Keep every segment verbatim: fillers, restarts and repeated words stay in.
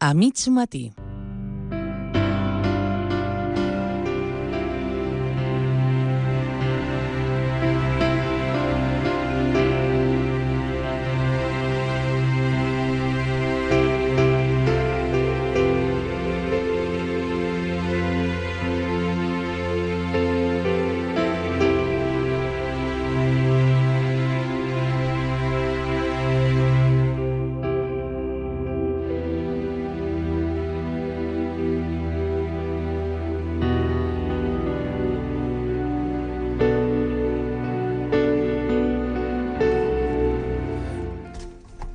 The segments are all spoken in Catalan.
A mig matí.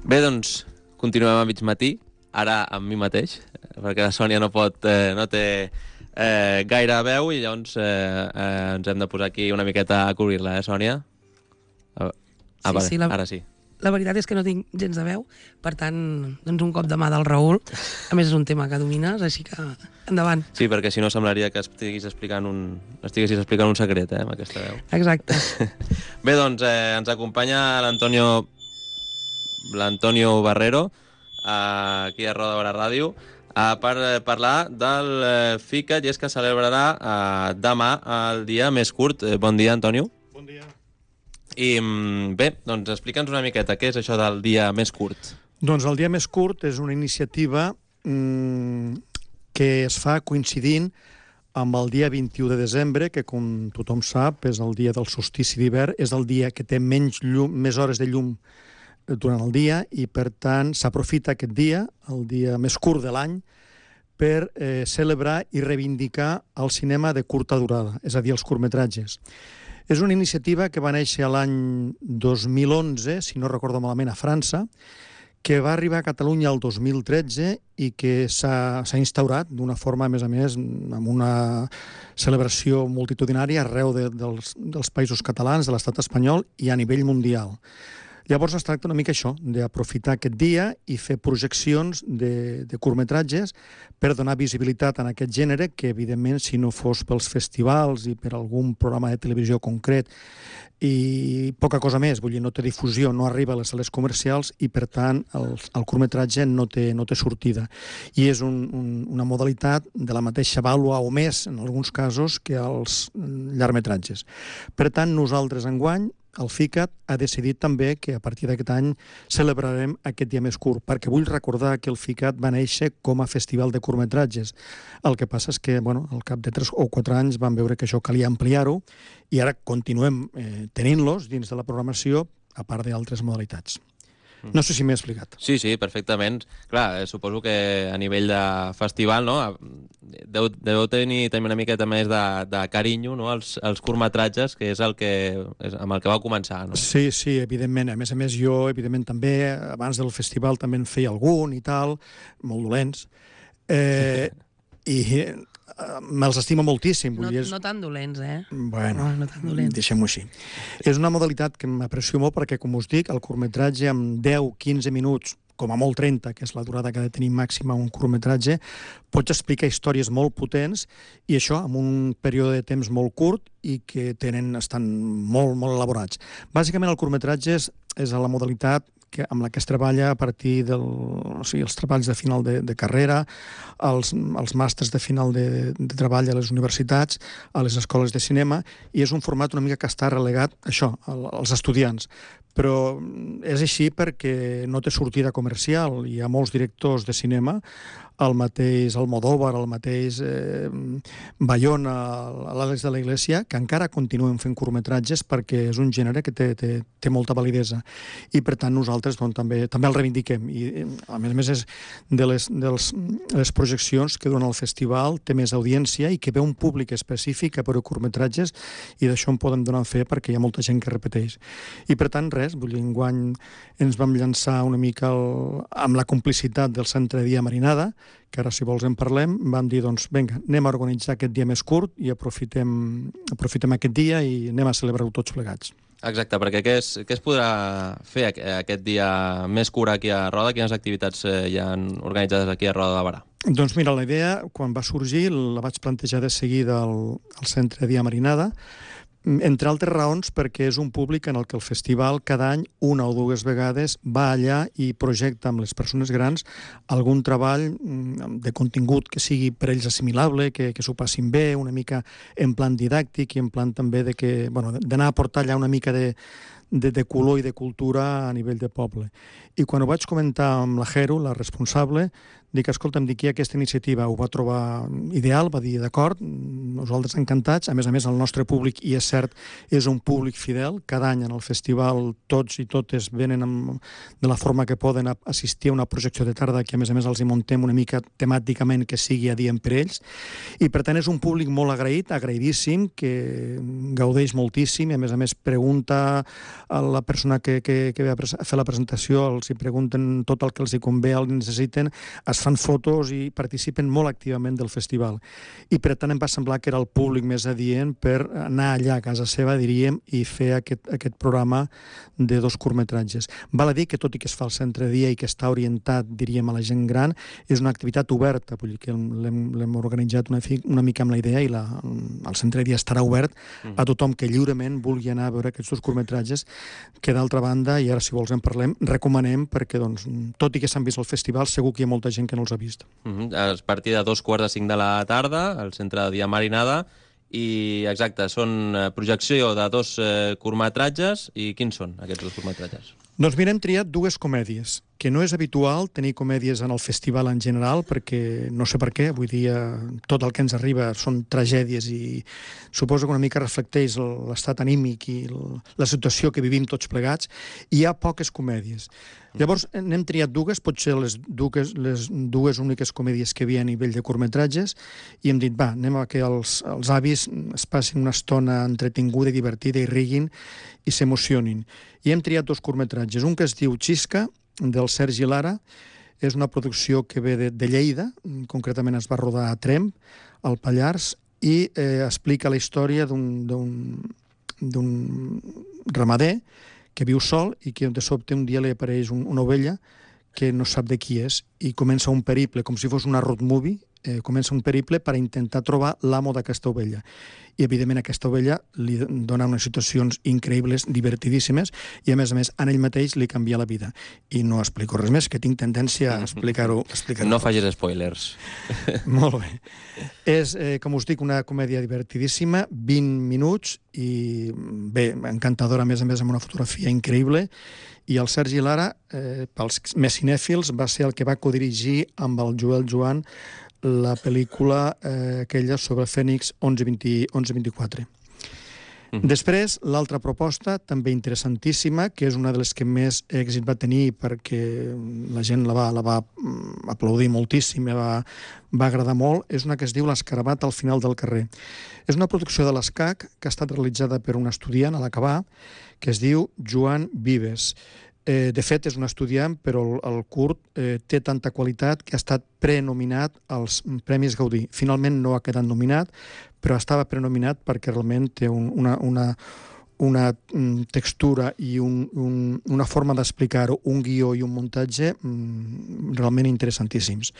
Bé, doncs, continuem a mig matí, ara amb mi mateix, perquè la Sònia no pot, eh, no té eh, gaire veu i llavors eh, eh, ens hem de posar aquí una miqueta a cobrir-la, eh, Sònia? Ah, Sí, vale, sí, la- ara sí. La veritat és que no tinc gens de veu, per tant, doncs un cop de mà del Raül. A més, és un tema que domines, així que endavant. Sí, perquè si no semblaria que estiguis explicant un, estiguessis explicant un secret, eh, amb aquesta veu. Exacte. Bé, doncs, eh, ens acompanya l'Antonio l'Antonio Barrero, eh, aquí a Roda de Barà Ràdio, eh, per eh, parlar del eh, FICAT, i és que celebrarà eh, demà el dia més curt. Eh, bon dia, Antonio. Bon dia. I mm, bé, doncs explica'ns una miqueta què és això del dia més curt. Doncs el dia més curt és una iniciativa mmm, que es fa coincidint amb el dia vint-i-u de desembre, que com tothom sap és el dia del solstici d'hivern, és el dia que té menys llum, més hores de llum durant el dia, i per tant s'aprofita aquest dia, el dia més curt de l'any, per eh, celebrar i reivindicar el cinema de curta durada, és a dir, els curtmetratges. És una iniciativa que va néixer l'any dos mil onze, si no recordo malament, a França, que va arribar a Catalunya el dos mil tretze i que s'ha instaurat d'una forma, a més a més, amb una celebració multitudinària arreu de, dels, dels països catalans, de l'estat espanyol i a nivell mundial. Llavors es tracta una mica això, d'aprofitar aquest dia i fer projeccions de, de curtmetratges per donar visibilitat en aquest gènere que, evidentment, si no fos pels festivals i per algun programa de televisió concret i poca cosa més, vull dir, no té difusió, no arriba a les sales comercials i, per tant, el, el curtmetratge no té, no té sortida. I és un, un, una modalitat de la mateixa vàlua o més, en alguns casos, que els llargmetratges. Per tant, nosaltres, enguany, el FICAT ha decidit també que a partir d'aquest any celebrarem aquest dia més curt, perquè vull recordar que el FICAT va néixer com a festival de curtmetratges. El que passa és que, bueno, al cap de tres o quatre anys vam veure que això calia ampliar-ho i ara continuem eh, tenint-los dins de la programació, a part d'altres modalitats. No sé si m'he explicat. Sí, sí, perfectament. Clar, eh, suposo que a nivell de festival, no, deu, deu tenir també una miqueta més de, de carinyo, no, als, als curtmetratges, que és el que és amb el que va començar, no? Sí, sí, evidentment. A més a més, jo, evidentment, també, abans del festival també en feia algun i tal, molt dolents. Eh, I eh, me'ls estimo moltíssim. Vull No, dir, és... no tan dolents, eh? Bueno, No, no tan dolents. deixem-ho així. És una modalitat que m'aprecio molt perquè, com us dic, el curtmetratge amb deu a quinze minuts, com a molt trenta, que és la durada que ha de tenir màxima un curtmetratge, pots explicar històries molt potents i això amb un període de temps molt curt i que tenen, estan molt, molt elaborats. Bàsicament el curtmetratge és, és la modalitat que, amb la que es treballa a partir dels o sigui, els treballs de final de, de carrera, els, els màsters de final de, de treball a les universitats, a les escoles de cinema, i és un format una mica que està relegat això, als estudiants. Però és així perquè no té sortida comercial. Hi ha molts directors de cinema, el mateix Almodóvar, el mateix eh, Bayona, l'Àlex de la Iglesia, que encara continuen fent curtmetratges perquè és un gènere que té, té, té molta validesa. I, per tant, nosaltres doncs, també també el reivindiquem. I, a més a més, és de les, dels, les projeccions que durant el festival té més audiència i que ve un públic específic a per curtmetratges, i d'això en podem donar fe perquè hi ha molta gent que repeteix. I, per tant, res, vull dir, enguany ens vam llançar una mica el, amb la complicitat del Centre Dia Marinada, que ara, si vols, en parlem. Vam dir, doncs, vinga, anem a organitzar aquest dia més curt i aprofitem, aprofitem aquest dia i anem a celebrar-ho tots plegats. Exacte, perquè què es, què es podrà fer aquest dia més curt aquí a Roda? Quines activitats hi ha organitzades aquí a Roda de Barà? Doncs mira, la idea, quan va sorgir, la vaig plantejar de seguida al, al Centre Dia Marinada, Entre altres raons, perquè és un públic en el que el festival cada any, una o dues vegades, va allà i projecta amb les persones grans algun treball de contingut que sigui per ells assimilable, que, que s'ho passin bé, una mica en plan didàctic i en plan també de que, bueno, d'anar a portar allà una mica de, de, de color i de cultura a nivell de poble. I quan ho vaig comentar amb la Jero, la responsable, dic, escolta'm, dic, aquesta iniciativa ho va trobar ideal, va dir, d'acord, nosaltres encantats, a més a més el nostre públic, i és cert, és un públic fidel, cada any en el festival tots i totes venen amb, de la forma que poden assistir a una projecció de tarda que a més a més els hi montem una mica temàticament que sigui adient per ells, i per tant és un públic molt agraït, agraïdíssim, que gaudeix moltíssim, i a més a més pregunta a la persona que, que, que ve a fer la presentació, els hi pregunten tot el que els hi convé, el que necessiten, es fan fotos i participen molt activament del festival. I per tant em va semblar que era el públic més adient per anar allà a casa seva, diríem, i fer aquest, aquest programa de dos curtmetratges. Val a dir que tot i que es fa al centre de dia i que està orientat, diríem, a la gent gran, és una activitat oberta, vull dir que l'hem organitzat una, una mica amb la idea i la, el centre de dia estarà obert a tothom que lliurement vulgui anar a veure aquests dos curtmetratges, que d'altra banda, i ara si vols en parlem, recomanem perquè, doncs, tot i que s'han vist al festival, segur que hi ha molta gent que no els ha vist. Uh-huh. A partir de dos quarts de cinc de la tarda, al centre de dia Marinada, i exacte, són projecció de dos eh, curtmetratges, i quins són aquests dos curtmetratges? Doncs mira, hem triat dues comèdies, que no és habitual tenir comèdies en el festival en general, perquè no sé per què, vull dir, tot el que ens arriba són tragèdies i suposo que una mica reflecteix l'estat anímic i la situació que vivim tots plegats, i hi ha poques comèdies. Llavors, n'hem triat dues, potser les dues, les dues úniques comèdies que hi havia a nivell de curtmetratges, i hem dit, va, anem a que els, els avis es passin una estona entretinguda i divertida i riguin i s'emocionin. I hem triat dos curtmetratges, un que es diu Xisca, del Sergi Lara, és una producció que ve de, de Lleida, concretament es va rodar a Tremp, al Pallars, i eh, explica la història d'un ramader que viu sol i que de sobte un dia li apareix un, una ovella que no sap de qui és i comença un periple, com si fos una road movie, eh, comença un periple per intentar trobar l'amo d'aquesta ovella. I, evidentment, aquesta ovella li dona unes situacions increïbles, divertidíssimes, i, a més a més, en ell mateix li canvia la vida. I no explico res més, que tinc tendència a explicar-ho. Explicar no facis spoilers. Molt bé. És, eh, com us dic, una comèdia divertidíssima, vint minuts, i bé, encantadora, a més a més, amb una fotografia increïble, i el Sergi Lara, eh, pels més cinèfils, va ser el que va codirigir amb el Joel Joan la pel·lícula eh, aquella sobre Fènix onze vint-i-quatre. Mm-hmm. Després, l'altra proposta, també interessantíssima, que és una de les que més èxit va tenir perquè la gent la va, la va aplaudir moltíssim, va, va agradar molt, és una que es diu L'Escarabat al final del carrer. És una producció de l'Escac que ha estat realitzada per un estudiant a l'Acabà, que es diu Joan Vives. Eh, de fet, és un estudiant, però el, el curt eh, té tanta qualitat que ha estat prenominat als Premis Gaudí. Finalment no ha quedat nominat, però estava prenominat perquè realment té un, una, una, una textura i un, un, una forma d'explicar-ho, un guió i un muntatge mm, realment interessantíssims.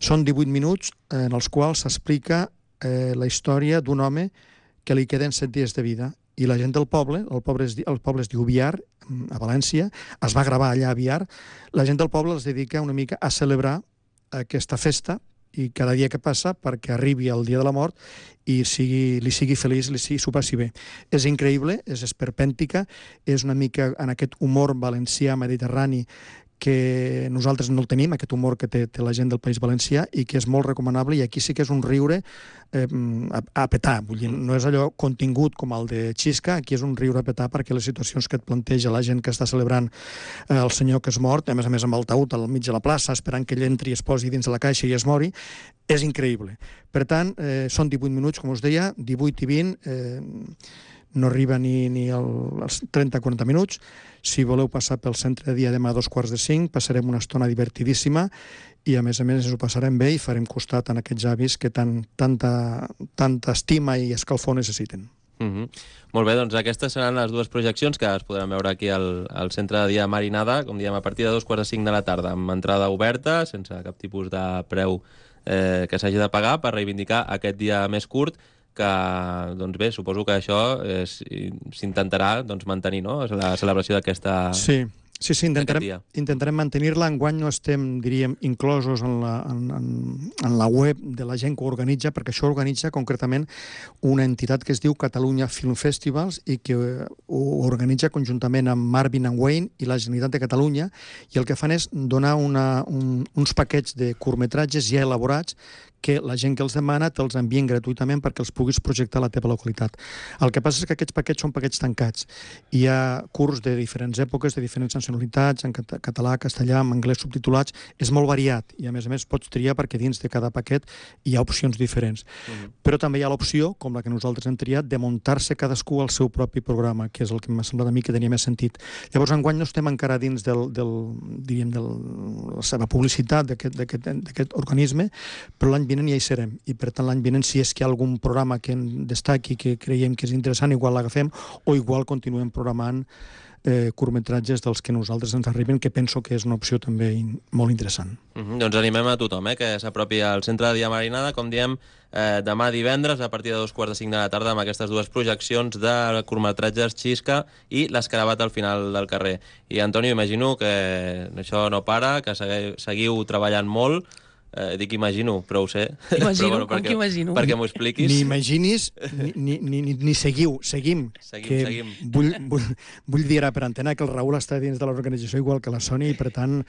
Són divuit minuts en els quals s'explica eh, la història d'un home que li queden set dies de vida, i la gent del poble, el poble es, el poble es diu Biar, a València, es va gravar allà a Biar, la gent del poble es dedica una mica a celebrar aquesta festa i cada dia que passa perquè arribi el dia de la mort i sigui, li sigui feliç, li sigui, s'ho passi bé. És increïble, és esperpèntica, és una mica en aquest humor valencià mediterrani que nosaltres no el tenim, aquest humor que té, té la gent del País Valencià, i que és molt recomanable, i aquí sí que és un riure eh, a, a petar. Vull dir, no és allò contingut com el de Xisca, aquí és un riure a petar perquè les situacions que et planteja la gent que està celebrant eh, el senyor que és mort, a més a més amb el taüt al mig de la plaça, esperant que ell entri i es posi dins de la caixa i es mori, és increïble. Per tant, eh, són divuit minuts, com us deia, divuit i vint, eh, no arriba ni, ni als trenta a quaranta minuts. Si voleu passar pel centre de dia demà a dos quarts de cinc, passarem una estona divertidíssima i, a més a més, ens ho passarem bé i farem costat en aquests avis que tant, tanta, tanta estima i escalfor necessiten. Mm-hmm. Molt bé, doncs aquestes seran les dues projeccions que es podran veure aquí al, al centre de dia Marinada, com diem, a partir de dos quarts de cinc de la tarda, amb entrada oberta, sense cap tipus de preu eh, que s'hagi de pagar per reivindicar aquest dia més curt que, doncs bé, suposo que això eh, s'intentarà doncs, mantenir, no?, la celebració d'aquesta... Sí. Sí, sí, intentarem, intentarem mantenir-la. Enguany no estem, diríem, inclosos en la, en, en, en la web de la gent que ho organitza, perquè això organitza concretament una entitat que es diu Catalunya Film Festivals i que ho organitza conjuntament amb Marvin and Wayne i la Generalitat de Catalunya, i el que fan és donar una, un, uns paquets de curtmetratges ja elaborats que la gent que els demana te'ls envien gratuïtament perquè els puguis projectar a la teva localitat. El que passa és que aquests paquets són paquets tancats. Hi ha curts de diferents èpoques, de diferents nacionalitats, en català, castellà, en anglès subtitulats. És molt variat i, a més a més, pots triar perquè dins de cada paquet hi ha opcions diferents. Uh-huh. Però també hi ha l'opció, com la que nosaltres hem triat, de muntar-se cadascú el seu propi programa, que és el que m'ha semblat a mi que tenia més sentit. Llavors, enguany no estem encara dins del, del, diríem, de la seva publicitat d'aquest organisme, però l'any vinent ja hi serem, i per tant l'any vinent, si és que hi ha algun programa que en destaqui, que creiem que és interessant, igual l'agafem, o igual continuem programant eh, curtmetratges dels que nosaltres ens arriben, que penso que és una opció també in, molt interessant. Mm-hmm. Doncs animem a tothom eh, que s'apropi al Centre de Dia Marinada, com diem, eh, demà divendres, a partir de dos quarts de cinc de la tarda, amb aquestes dues projeccions de curtmetratges Xisca i l'Escarabat al final del carrer. I, Antonio, imagino que això no para, que seguiu, seguiu treballant molt. Eh, dic imagino, però ho sé. Imagino, però, bueno, com perquè, que imagino? Perquè m'ho expliquis. Ni imaginis, ni, ni, ni, ni seguiu, seguim. Seguim, que seguim. Vull, vull, vull dir ara per antena que el Raül està dins de l'organització igual que la Sònia i, per tant,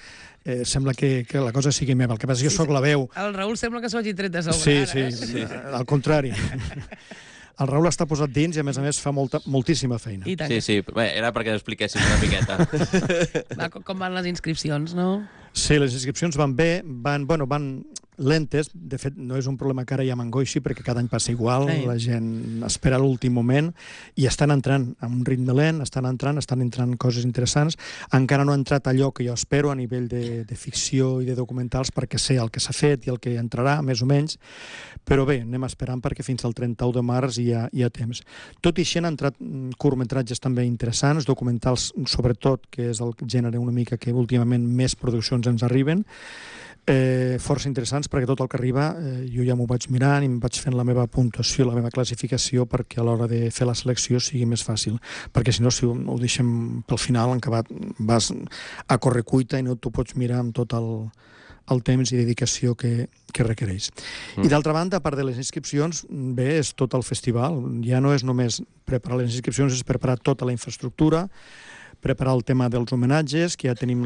eh, sembla que, que la cosa sigui meva. El que passa és que jo sóc la veu. El Raül sembla que s'ho hagi tret de sobre. Sí, ara, sí, eh? sí, al contrari. El Raül està posat dins i, a més a més, fa molta, moltíssima feina. I tant. Sí, sí, bé, era perquè expliquéssim una miqueta. Va, com van les inscripcions, no? Sí, les inscripcions van bé, van, bueno, van lentes. De fet, no és un problema que ara ja m'angoixi, perquè cada any passa igual, sí. La gent espera l'últim moment i estan entrant a un ritme lent, estan entrant, estan entrant coses interessants. Encara no ha entrat allò que jo espero a nivell de, de ficció i de documentals, perquè sé el que s'ha fet i el que entrarà, més o menys, però bé, anem esperant perquè fins al trenta-u de març hi ha, hi ha temps. Tot i així han entrat curtmetratges també interessants, documentals sobretot, que és el gènere una mica que últimament més produccions ens arriben, eh, força interessants, perquè tot el que arriba eh, jo ja m'ho vaig mirant i em vaig fent la meva puntuació, la meva classificació, perquè a l'hora de fer la selecció sigui més fàcil, perquè si no, si ho, ho deixem pel final, en acabat vas a correcuita i no t'ho pots mirar amb tot el, el temps i dedicació que, que requereix. Mm. I d'altra banda, a part de les inscripcions, bé, és tot el festival. Ja no és només preparar les inscripcions, és preparar tota la infraestructura, preparar el tema dels homenatges, que ja tenim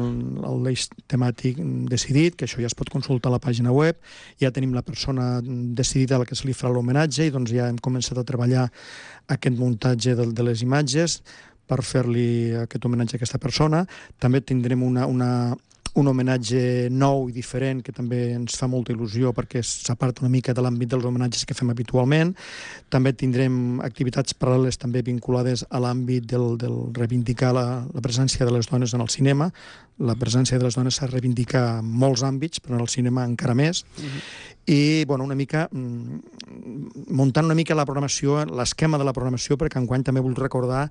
l'eix temàtic decidit, que això ja es pot consultar a la pàgina web, ja tenim la persona decidida a la que se li farà l'homenatge i doncs ja hem començat a treballar aquest muntatge de, de les imatges per fer-li aquest homenatge a aquesta persona. També tindrem una, una, un homenatge nou i diferent que també ens fa molta il·lusió perquè s'aparta una mica de l'àmbit dels homenatges que fem habitualment. També tindrem activitats paral·leles també vinculades a l'àmbit del, del reivindicar la, la presència de les dones en el cinema. La presència de les dones s'ha de reivindicar en molts àmbits, però en el cinema encara més. Uh-huh. I, bueno, una mica, muntant una mica la programació, l'esquema de la programació, perquè enguany també vull recordar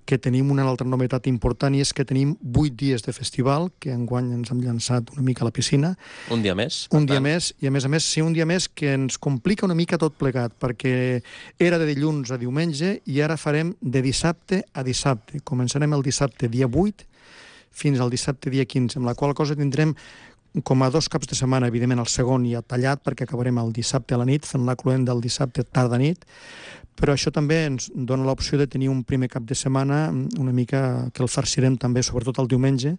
que tenim una altra novetat important i és que tenim vuit dies de festival, que enguany ens hem llançat una mica a la piscina. Un dia més? Un dia més, i a més a més, sí, un dia més que ens complica una mica tot plegat, perquè era de dilluns a diumenge i ara farem de dissabte a dissabte. Començarem el dissabte dia vuit fins al dissabte dia quinze, amb la qual cosa tindrem com a dos caps de setmana, evidentment el segon ja tallat, perquè acabarem el dissabte a la nit, fent la cloenda del dissabte tarda-nit, però això també ens dona l'opció de tenir un primer cap de setmana una mica que el farcirem també, sobretot el diumenge,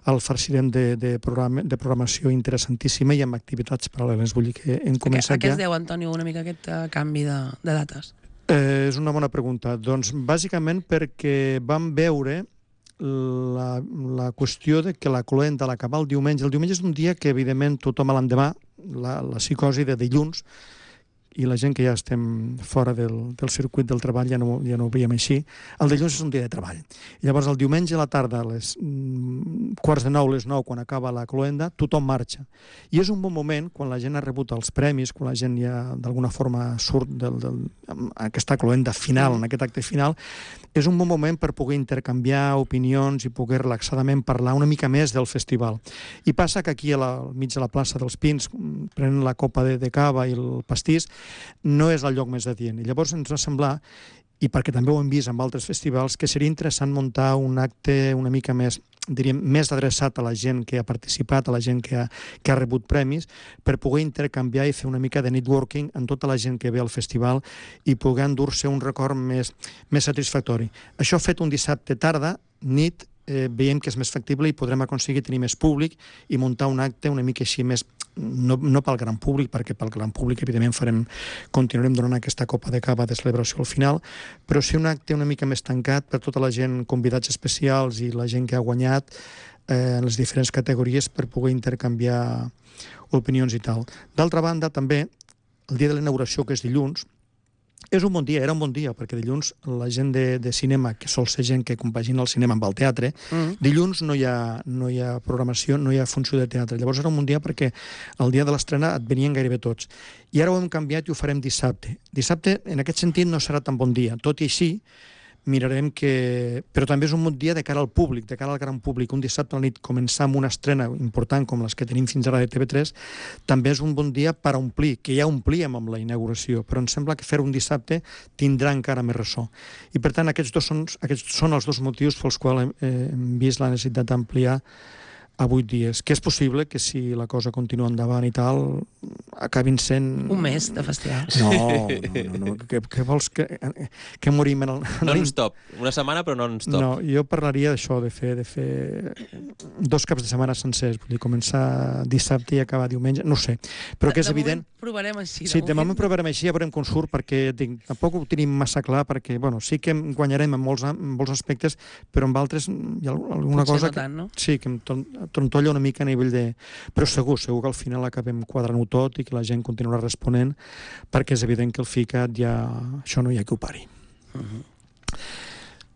el farcirem de, de, programa, de programació interessantíssima i amb activitats paral·leles. Vull dir que hem començat ja... A què es deu, Antonio, una mica aquest uh, canvi de, de dates? Eh, és una bona pregunta. Doncs bàsicament perquè vam veure La, la qüestió de que la cloenda a l'acabar el diumenge, el diumenge és un dia que evidentment tothom a l'endemà, la, la psicosi de dilluns, i la gent que ja estem fora del, del circuit del treball ja no, ja no ho veiem així, el dilluns és un dia de treball. I llavors el diumenge a la tarda, a les mm, quarts de nou, les nou, quan acaba la cloenda, tothom marxa. I és un bon moment, quan la gent ha rebut els premis, quan la gent ja d'alguna forma surt del, del, aquesta cloenda final, en aquest acte final, és un bon moment per poder intercanviar opinions i poder relaxadament parlar una mica més del festival. I passa que aquí, a la, al mig de la plaça dels Pins, prenen la copa de, de cava i el pastís, no és el lloc més adient. I llavors ens va semblar, i perquè també ho hem vist amb altres festivals, que seria interessant muntar un acte una mica més, diríem, més adreçat a la gent que ha participat, a la gent que ha, que ha rebut premis, per poder intercanviar i fer una mica de networking amb tota la gent que ve al festival i poder endur-se un record més, més satisfactori. Això fet un dissabte tarda, nit, eh, veiem que és més factible i podrem aconseguir tenir més públic i muntar un acte una mica així més, no, no pel gran públic, perquè pel gran públic evidentment farem, continuarem donant aquesta copa de cava de celebració al final, però sí un acte una mica més tancat per tota la gent, convidats especials i la gent que ha guanyat eh, en les diferents categories per poder intercanviar opinions i tal. D'altra banda, també, el dia de la inauguració, que és dilluns, és un bon dia, era un bon dia, perquè dilluns la gent de, de cinema, que sol ser gent que compagina el cinema amb el teatre, mm. dilluns no hi, ha, no hi ha programació, no hi ha funció de teatre. Llavors era un bon dia perquè el dia de l'estrena et venien gairebé tots. I ara ho hem canviat i ho farem dissabte. Dissabte, en aquest sentit, no serà tan bon dia. Tot i així, mirarem que... Però també és un bon dia de cara al públic, de cara al gran públic. Un dissabte a la nit començar amb una estrena important com les que tenim fins ara de T V tres també és un bon dia per omplir, que ja omplíem amb la inauguració, però em sembla que fer un dissabte tindrà encara més ressò. I per tant aquests, dos són, aquests són els dos motius pels quals hem, eh, hem vist la necessitat d'ampliar a vuit dies, que és possible que si la cosa continua endavant i tal, acabin sent... Un mes de festival. No, no, no, no. Què, què vols que, que morim en el... Non-stop, una setmana però non-stop. No, jo parlaria d'això, de fer, de fer dos caps de setmana sencers, vull dir, començar dissabte i acabar diumenge, no ho sé, però que és de evident... provarem així. Sí, de moment provarem així, ja veurem com surt, perquè dic, tampoc ho tenim massa clar, perquè, bueno, sí que guanyarem en molts, en molts aspectes, però en altres hi ha alguna Potser cosa... no tant, no? Que, sí, que em trontolla una mica a nivell de... Però segur, segur que al final acabem quadrant-ho tot i que la gent continuarà responent, perquè és evident que el FICAT ja... això no hi ha que ho pari. Uh-huh.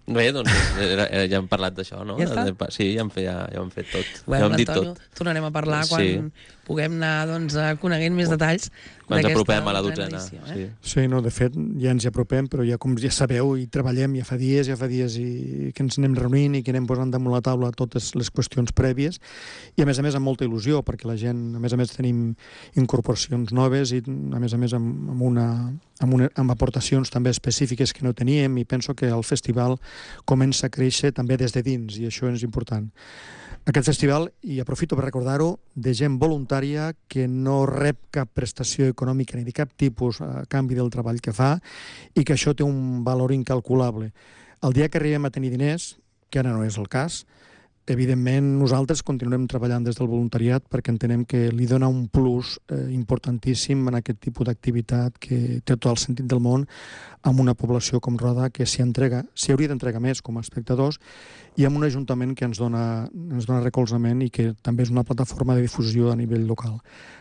Bé, doncs era, era, ja hem parlat d'això, no? Ja està? Sí, ja hem, fet, ja, ja hem fet tot. Bueno, ja hem dit Antonio, tot. Tornarem a parlar quan sí. puguem anar doncs, coneguent més detalls quan ens apropem a la dotzena dotzena. edició, eh? Sí. sí, no, de fet, ja ens hi apropem, però ja com ja sabeu, i treballem ja fa dies, ja fa dies i que ens anem reunint i que anem posant damunt la taula totes les qüestions prèvies, i a més a més amb molta il·lusió, perquè la gent, a més a més tenim incorporacions noves i a més a més amb, amb, una, amb, una, amb aportacions també específiques que no teníem, i penso que el festival comença a créixer també des de dins, i això és important. Aquest festival, i aprofito per recordar-ho, de gent voluntària que no rep cap prestació econòmica ni de cap tipus a canvi del treball que fa, i que això té un valor incalculable. El dia que arribem a tenir diners, que ara no és el cas, evidentment nosaltres continuarem treballant des del voluntariat perquè entenem que li dona un plus eh, importantíssim en aquest tipus d'activitat que té tot el sentit del món amb una població com Roda que s'hi entrega, s'hi hauria d'entregar més com a espectadors, i amb un ajuntament que ens dona, ens dona recolzament i que també és una plataforma de difusió a nivell local.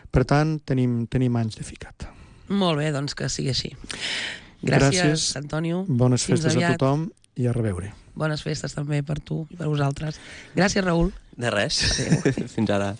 Per tant, tenim, tenim anys de FICAT. Molt bé, doncs que sigui així. Gràcies, Gràcies. Antonio. Bones festes a tothom i a reveure. Bones festes també per tu i per vosaltres. Gràcies, Raül. De res. Adéu. Fins ara.